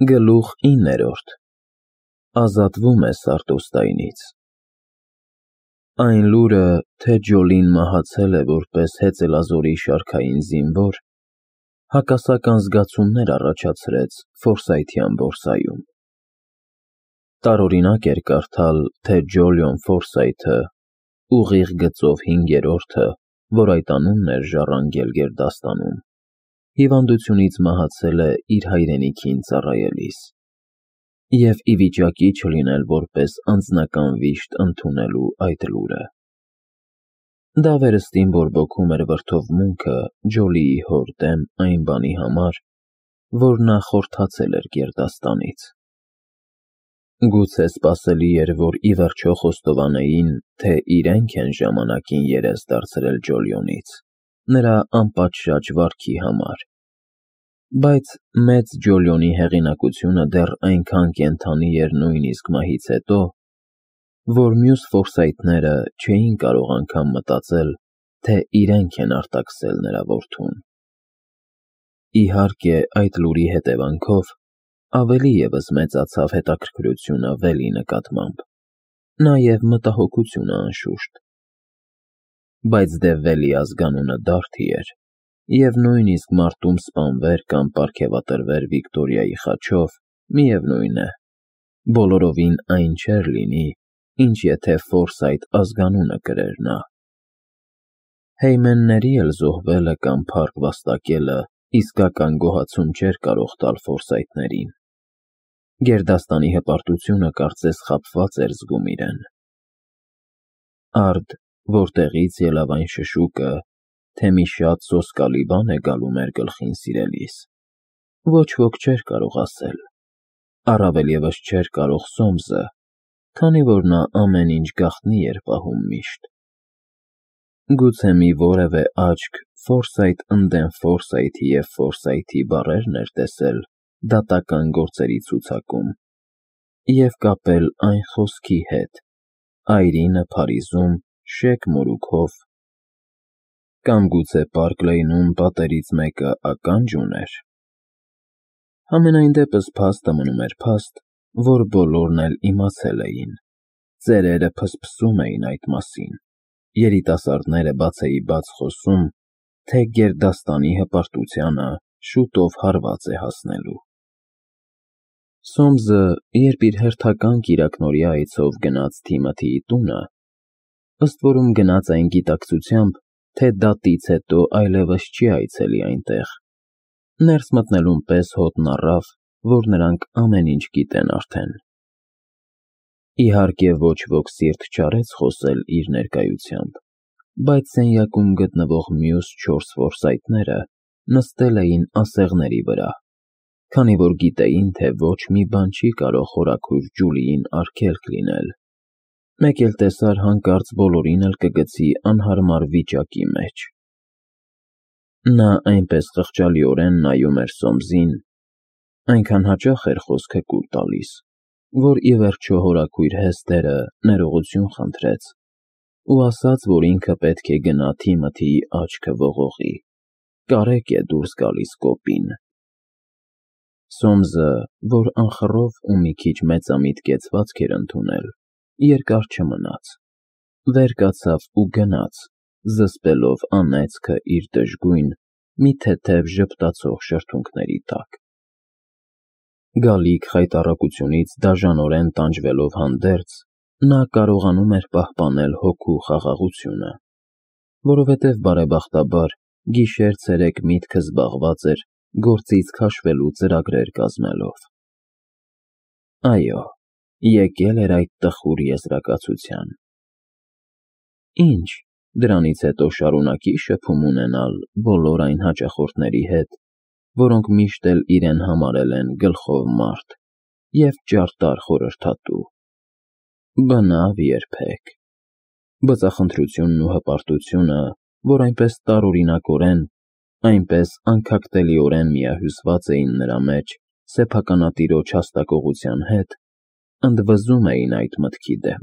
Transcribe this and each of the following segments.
Գլուխ 9. Ազատվում է Սարտոստայնից։ Այն լուրը, թե Ջոլին մահացել է որպես հեծելազորի շարքային զինվոր, հակասական զգացումներ առաջացրեց Ֆորսայթյան բորսայում։ Տարօրինակ էր կարդալ, թե Ջոլիոն Ֆորսայթը, ուղիղ գծով 5-րդը, որ այդ անունն էր ժառանգել գերդաստանում, հիվանդությունից մահացել է իր հայրենիքին ծառայելիս, և ի վիճակի չլինել որպես անձնական վիշտ ընդունելու այդ լուրը։ Դա վերստին բորբոքում էր վրդովմունքը Ջոլիի հոր դեմ այն բանի համար, որ նա խորթացել էր գերդաստանից։ Գուցե սպասելի էր, որ ի վերջո խոստովանեին, թե իրենք են ժամանակին երես դարձրել Ջոլիոնից, նրա անպատշաճ վարքի համար, բայց մեծ Ջոլիոնի հեղինակությունը դեռ այնքան կենդանի էր նույնիսկ մահից հետո, որ մյուս Ֆորսայթները չէին կարող անգամ մտածել, թե իրենք են արտաքսել նրա որդուն։ Իհարկե, այդ լուրի հետևանքով ավելի ևս մեծացավ հետաքրքրությունը Վելի նկատմամբ, նաև մտահոգությունը անշուշտ։ Բայց դե Վելի ազգանունը Դարթի էր, և նույնիսկ մարտում սպանվեր կամ պարգևատրվեր Վիկտորիայի խաչով, միևնույն է, բոլորովին այն չէր լինի, ինչ եթե Ֆորսայթ ազգանունը կրեր նա։ Հեյմենների էլ զոհվելը կամ փառք վաստակելը իսկական գոհացում չէր կարող տալ Ֆորսայթներին։ Գերդաստանի հպարտությունը կարծես խաբված էր զգում իրեն։ Արդ, որտեղից ելավ այն շշուկը, թե մի շատ սոսկալի բան է գալու մեր գլխին սիրելիս, ոչ ոք չէր կարող ասել, առավել ևս չէր կարող Սոմսը, քանի որ նա ամեն ինչ գաղտնի էր պահում միշտ։ Գուցե մի որևէ աչք Ֆորսայթ ընդդեմ Ֆորսայթի և Ֆորսայթի բառերն էր տեսել դատական գործերի ցուցակում և կապել այն խոսքի հետ. «Այրինը Փարիզում շեկ մորուքով», կամ գուցե Պարկ Լեյնում պատերից մեկը ականջ ուներ։ Համենայն դեպս փաստը մնում էր փաստ, որ բոլորն էլ իմացել էին, ծերերը փսփսում էին այդ մասին, երիտասարդները բացեիբաց խոսում, թե գերդաստանի հպարտությանը շուտով հարված է հասնելու։ Սոմսը, երբ իր հերթական կիրակնօրյա այցով գնաց Թիմոթիի տունը, ըստ որում գնաց այն գիտակցությամբ, թե դատից հետո այլևս չի այցելի այնտեղ, ներս մտնելուն պես հոտն առավ, որ նրանք ամեն ինչ գիտեն արդեն։ Իհարկե ոչ ոք սիրտ չարեց խոսել իր ներկայությամբ, բայց սենյակում գտնվող մյուս 4 Ֆորսայթները նստել էին ասեղների վրա, քանի որ գիտեին, թե ոչ մի բան չի կարող խորաքույր Ջուլիին արգելք լինել, մեկ էլ տեսար հանկարծ բոլորին էլ կգցի անհարմար վիճակի մեջ։ Նա այնպես խղճալիորեն նայում էր Սոմսին, այնքան հաճախ էր խոսքը կուլ տալիս, որ ի վերջո հորաքույր Հեստերը ներողություն խնդրեց ու ասաց, որ ինքը պետք է գնա Թիմոթիի աչքը ողողի, կարեկ է դուրս գալիս կոպին։ Սոմսը, որ անխռով ու մի քիչ մեծամիտ կեցվածք էր ընդունել, երկար չմնաց, վեր կացավ ու գնաց, զսպելով անեծքը իր դժգույն, մի թեթև ժպտացող շրթունքների տակ։ Գալիք խայտառակությունից դաժանորեն տանջվելով հանդերձ, նա կարողանում էր պահպանել հոգու խաղաղությունը, որովհետև բարեբախտաբար գիշեր-ցերեկ միտքը զբաղված էր գործից քաշվելու ծրագրեր կազմելով։ Այո, եկել էր այդ տխուր եզրակացության։ Ինչ, դրանից հետո շարունակի շփում ունենալ բոլոր այն հաճախորդների հետ, որոնք միշտ էլ իրեն համարել են գլխով մարդ և ճարտար խորհրդատու։ Բնավ երբեք։ Բծախնդրությունն ու հպարտությունը, որ այնպես տարօրինակորեն, այնպես անքակտելիորեն միահյուսված էին նրա մեջ սեփականատիրոջ հաստակողության հետ, ընդվզում էին այդ մտքի դեմ։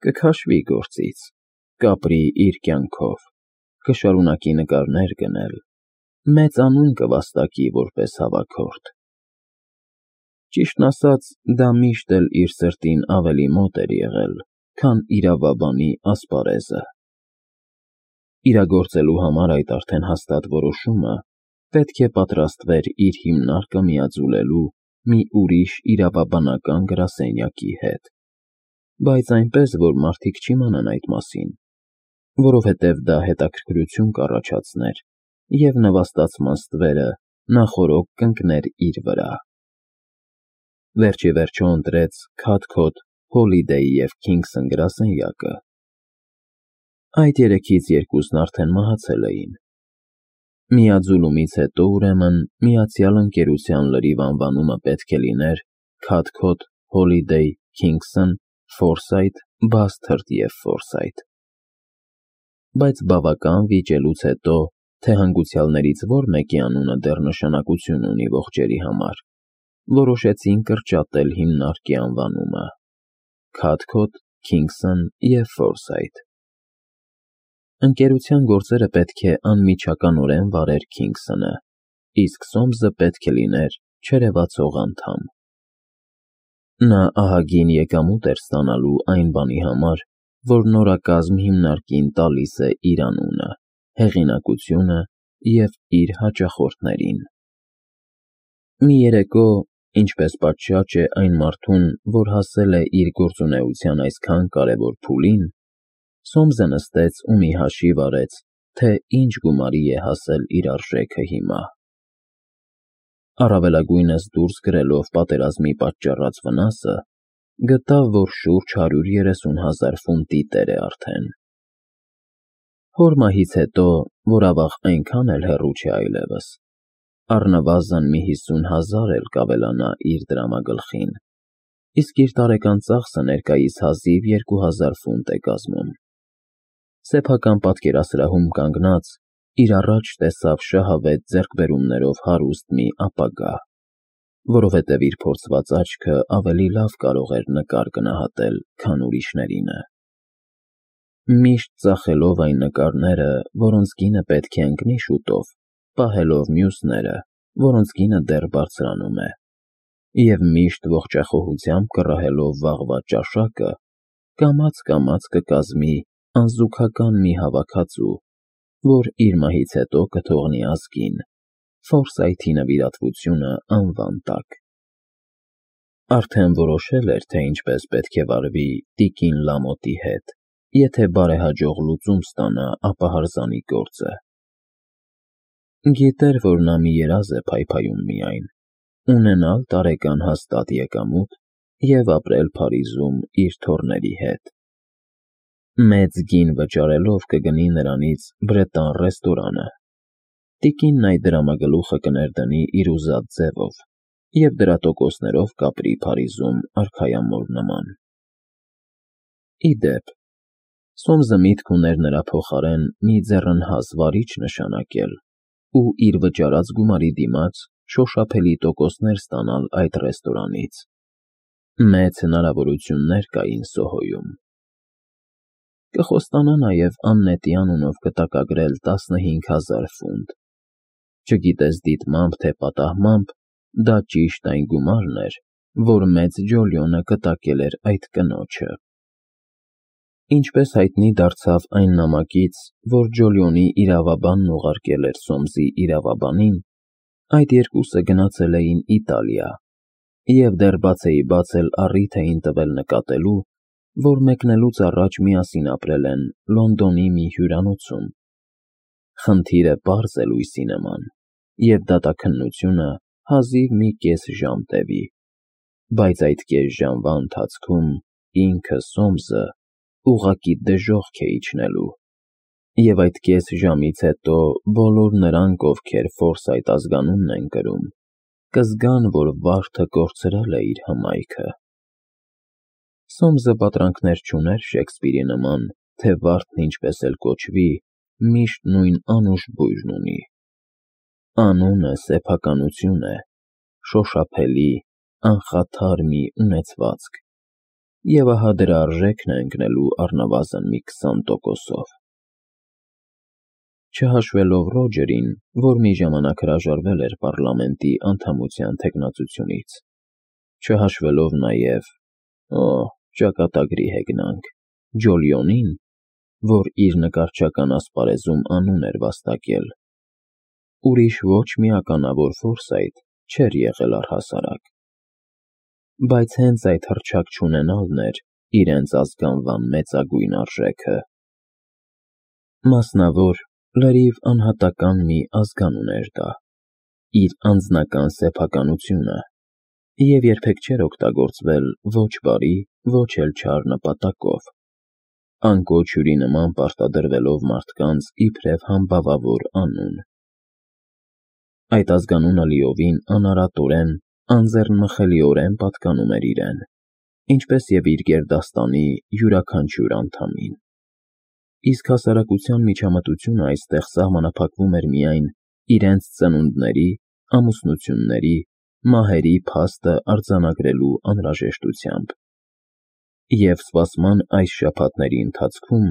Կքաշվի գործից, կապրի իր կյանքով, կշարունակի նկարներ գնել, մեծ անուն կվաստակի որպես հավաքորդ։ Ճիշտն ասած, դա միշտ էլ իր սրտին ավելի մոտ էր եղել, քան իրավաբանի ասպարեզը։ Իրագործելու համար այդ արդեն հաստատ որոշումը պետք է պատրաստվեր իր հիմնարկը միաձուլելու մի ուրիշ իրավաբանական գրասենյակի հետ, բայց այնպես, որ մարդիկ չիմանան այդ մասին, որովհետև դա հետաքրքրություն կառաջացներ և նվաստացման ստվերը նախօրոք կընկներ իր վրա։ Վերջիվերջո ընտրեց Քաթքոթ, Հոլիդեյ և Քինգսն գրասենյակը։ Այդ երեքից երկուսն արդեն մահացել էին։ Միաձուլումից հետո, ուրեմն, Միացյալ Ընկերության լրիվ անվանումը պետք է լիներ Քաթքոթ, Հոլիդեյ, Քինգսն, Ֆորսայթ, Բասթըրդ և Ֆորսայթ։ Բայց բավական վիճելուց հետո, թե հանգուցյալներից որ մեկի անունը դեռ նշանակություն ունի ողջերի համար, որոշեցին կրճատել հիմնարկի անվանումը՝ Քաթքոթ, Քինգսն և Ֆորսայթ։ Ընկերության գործերը պետք է անմիջականորեն վարեր Քինգսոնը, իսկ Սոմսը պետք է լիներ չերևացող անդամ։ Նա ահագին եկամուտ էր ստանալու այն բանի համար, որ նորակազմ հիմնարկին տալիս է իր անունը, հեղինակությունը և իր հաճախորդներին։ Մի երեկո, ինչպես պատշաճ է այն մարդուն, որ հասել է իր գործունեության այսքան կարևոր փուլին, Սոմսը նստեց ու մի հաշիվ արեց, թե ինչ գումարի է հասել իր արժեքը հիմա։ Առավելագույնս դուրս գրելով պատերազմի պատճառած վնասը, գտավ, որ շուրջ 130,000 ֆունտի տեր է արդեն։ Հոր մահից հետո, որ ավաղ այնքան էլ հեռու չէ այլևս, առնվազն մի 50,000 էլ կավելանա իր դրամագլխին, իսկ իր տարեկան ծախսը ներկայիս հազիվ 2,000 ֆունտ է կազմում։ Սեփական պատկերասրահում կանգնած, իր առաջ տեսավ շահավետ ձեռքբերումներով հարուստ մի ապագա, որովհետև իր փորձված աչքը ավելի լավ կարող էր նկար գնահատել, քան ուրիշներինը։ Միշտ ծախելով այն նկարները, որոնց գինը պետք է ընկնի շուտով, պահելով մյուսները, որոնց գինը դեռ բարձրանում է, և միշտ ողջախոհությամբ կռահելով վաղվա ճաշակը, կամաց կկազմի անզուգական մի հավաքածու, որ իր մահից հետո կթողնի ազգին, Ֆորսայթի նվիրատվությունը անվան տակ։ Արդեն որոշել էր, թե ինչպես պետք է վարվի տիկին Լամոթի հետ, եթե բարեհաջող լուծում ստանա ապահարզանի գործը։ Գիտեր, որ նա մի երազ է փայփայում միայն, ունենալ տարեկան հաստատ եկամուտ և ապրել Փարիզում իր թոռների հետ։ Մեծ գին վճարելով կգնի նրանից Բրետան ռեստորանը։ Տիկինն այդ դրամագլուխը կներդնի իր ուզած ձևով և դրա տոկոսներով կապրի Փարիզում արքայամոլ նման։ Ի դեպ, Սոմսը միտք ուներ նրա փոխարեն մի ձեռնհաս վարիչ նշանակել ու իր վճարած գումարի դիմաց շոշափելի տոկոսներ ստանալ այդ ռեստորանից։ Մեծ հնարավորություններ կային Սոհոյում։ Կխոստանա նաև Աննետի անունով կտակագրել 15,000 ֆունտ։ Չգիտես դիտմամբ, թե պատահմամբ, դա ճիշտ այն գումարն էր, որ մեծ Ջոլիոնը կտակել էր այդ կնոջը։ Ինչպես հայտնի դարձավ այն նամակից, որ Ջոլիոնի իրավաբանն ուղարկել էր Սոմսի իրավաբանին, այդ երկուսը գնացել էին Իտալիա և դեռ բացեիբաց էլ առիթ էին տվել նկատելու, որ մեկնելուց առաջ միասին ապրել են Լոնդոնի մի հյուրանոցում։ Խնդիրը պարզ է լույսի նման, և դատաքննությունը հազիվ մի կես ժամ տևի, բայց այդ կես ժամվա ընթացքում ինքը Սոմսը ուղղակի դժոխք է իջնելու, և այդ կես ժամից հետո բոլոր նրանք, ովքեր Ֆորսայթ ազգանունն են կրում, կզգան, որ վարդը կորցրել է իր հմայքը։ Սոմսը պատրանքներ չուներ Շեքսպիրի նման, թե վարդն ինչպես էլ կոչվի, միշտ նույն անուշ բույրն ունի։ Անունը սեփականություն է, շոշափելի, անխաթար մի ունեցվածք, և ահա դրա արժեքն է ընկնելու առնվազն մի 20%-ով։ Չհաշվելով Ռոջերին, որ մի ժամանակ հրաժարվել էր պառլամենտի անդամության թեկնածությունից։ չհաշվելով նաև, ճակատագրի հեգնանք, Ջոլիոնին, որ իր նկարչական ասպարեզում անուն էր վաստակել, ուրիշ ոչ մի ականավոր Ֆորսայթ չէր եղել առհասարակ, բայց հենց այդ հռչակ չունենալն էր իրենց ազգանվան մեծագույն արժեքը։ Մասնավոր, լրիվ անհատական մի ազգանուն էր դա, իր անձնական սեփականությունը, և երբեք չէր օգտագործվել ոչ բարի, ոչ էլ չար նպատակով, անկոչ հյուրի նման պարտադրվելով մարդկանց իբրև համբավավոր անուն։ Այդ ազգանունը լիովին անարատորեն, անձեռնմխելիորեն պատկանում էր իրեն, ինչպես և իր գերդաստանի յուրաքանչյուր անդամին։ Իսկ հասարակության միջամտությունը այստեղ սահմանափակվում էր միայն իրենց ծնունդների, ամուսնությունների, մահերի փաստը արձանագրելու անհրաժեշտությամբ։ Եվ սպասման այս շաբաթների ընթացքում,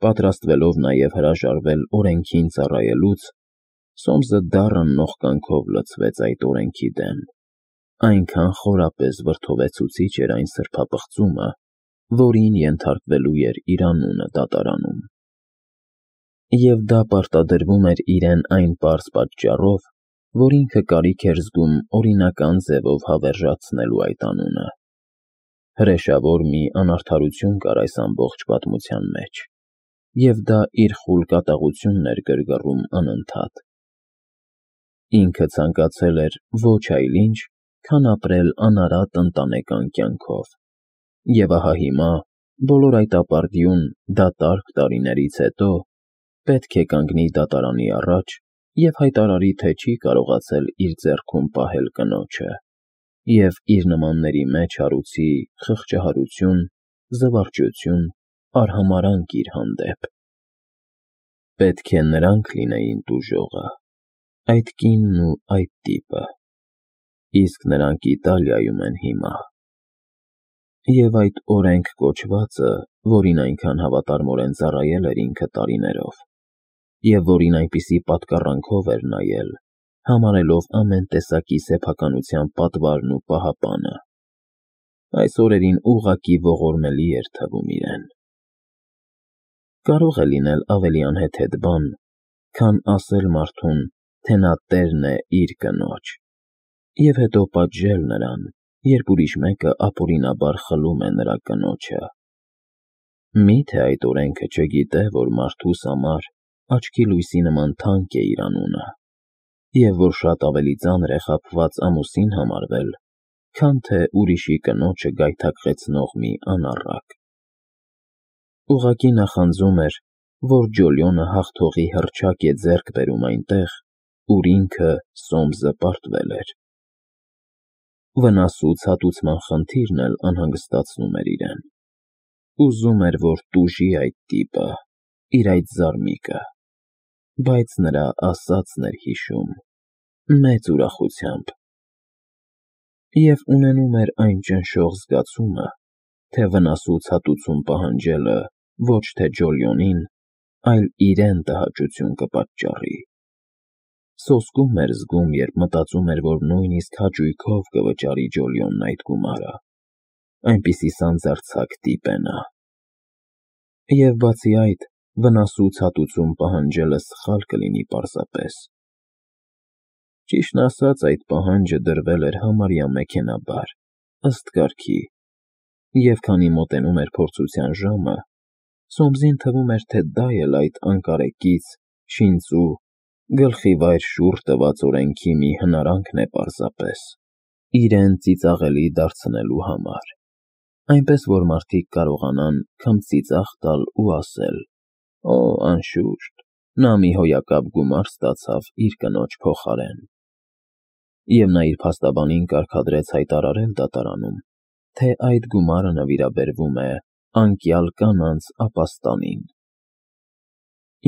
պատրաստվելով նաև հրաժարվել օրենքին ծառայելուց, Սոմսը դառն նողկանքով լցվեց այդ օրենքի դեմ, այնքան խորապես վրդովեցուցիչ էր այն սրբապղծումը, որին ենթարկվելու էր իր անունը դատարանում։ Եվ դա պարտադրվում էր իրեն այն պարզ պատճառով, որ ինքը կարիք էր զգում օրինական ձևով հավերժացնելու այդ անունը։ Հրեշավոր մի անարդարություն կար այս ամբողջ պատմության մեջ, և դա իր խուլ կատաղությունն էր գրգռում անընդհատ։ Ինքը ցանկացել էր ոչ այլ ինչ, քան ապրել անարատ ընտանեկան կյանքով, և ահա հիմա, բոլոր այդ ապարդյուն, դատարկ տարիներից հետո, պետք է կանգնի դատարանի առաջ և հայտարարի, թե չի կարողացել իր ձեռքում պահել կնոջը, և իր նմանների մեջ հարուցի խղճահարություն, զվարճություն, արհամարհանք իր հանդեպ։ Պետք է նրանք լինեին տուժողը, այդ կինն ու այդ տիպը, իսկ նրանք Իտալիայում են հիմա։ Եվ այդ օրենք կոչվածը, որին այնքան հավատարմորեն ծառայել էր ինքը տարիներով, և որին այնպիսի պատկառանքով էր նայել, համարելով ամեն տեսակի սեփականության պատվարն ու պահապանը, այս օրերին ուղղակի ողորմելի էր թվում իրեն։ Կարող է լինել ավելի անհեթեթ բան, քան ասել մարդուն, թե նա տերն է իր կնոջ, և հետո պատժել նրան, երբ ուրիշ մեկը ապօրինաբար խլում է նրա կնոջը։ Մի՞թե այդ օրենքը չգիտե, որ մարդուս համար աչքի լույսի նման թանկ է իր անունը, և որ շատ ավելի ծանր է խաբված ամուսին համարվել, քան թե ուրիշի կնոջը գայթակղեցնող մի անառակ։ Ուղղակի նախանձում էր, որ Ջոլիոնը հաղթողի հռչակ է ձեռք բերում այնտեղ, ուր ինքը, Սոմսը, պարտվել էր։ Վնասու ցատուցման խնդիրն էլ անհանգստացնում էր իրեն։ Ուզում էր, որ տուժի այդ տիպը, իր այդ զարմիկը, բայց նրա ասածն էր հիշում, մեծ ուրախությամբ։ Եվ ունենում էր այն ճնշող զգացումը, թե վնասու ցատուցում պահանջելը ոչ թե Ջոլիոնին, այլ իրեն տհաճություն կպատճառի։ Սոսկում էր զգում, երբ մտածում էր, որ նույնիսկ հաճույքով կվճարի Ջոլիոնն այդ գումարը, այնպիսի սանձարձակ տիպ է նա։ Եվ բացի այդ, վնասու ցատուցում պահանջելը սխալ կլինի պարզապես։ Ճիշտն ասած, այդ պահանջը դրվել էր համարյա մեքենաբար, ըստ կարգի, և քանի մոտենում էր փորձության ժամը, Սոմսին թվում էր, թե դա էլ այդ անկարեկից, շինծու, գլխիվայր շուռ տված օրենքի մի հնարանքն է պարզապես, իրեն ծիծաղելի դարձնելու համար, այնպես որ մարդիկ կարողանան քմծիծաղ տալ ու ասել. անշուշտ, նա մի հոյակապ գումար ստացավ իր կնոջ փոխարեն։ Եվ նա իր փաստաբանին կարգադրեց հայտարարել դատարանում, թե այդ գումարը նվիրաբերվում է անկյալ կանանց ապաստանին։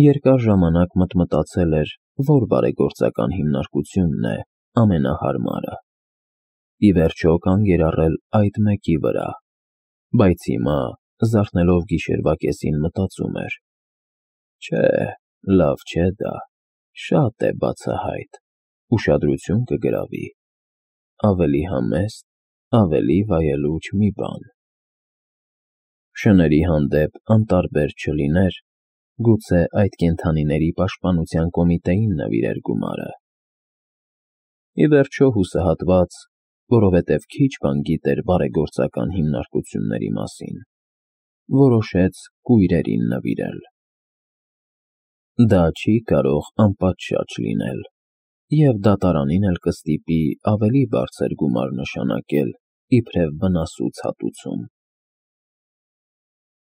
Երկար ժամանակ մտածել էր, որ բարեգործական հիմնարկությունն է ամենահարմարը։ Ի վերջո կանգ էր առել այդ մեկի վրա, բայց հիմա, զարթնելով գիշերվա կեսին, մտածում էր. չէ, լավ չէ դա, շատ է բացահայտ, ուշադրություն կգրավի, ավելի համեստ, ավելի վայելուչ մի բան։ Շների հանդեպ անտարբեր չլիներ, գուցե այդ կենդանիների պաշտպանության կոմիտեին նվիրեր գումարը։ Ի վերջո հուսահատված, որովհետև քիչ բան գիտեր բարեգործական հիմնարկությունների մասին, որոշեց կույրերին նվիրել։ Դա չի կարող անպատշաճ լինել, և դատարանին էլ կստիպի ավելի բարձր գումար նշանակել, իբրև վնասուց հատուցում։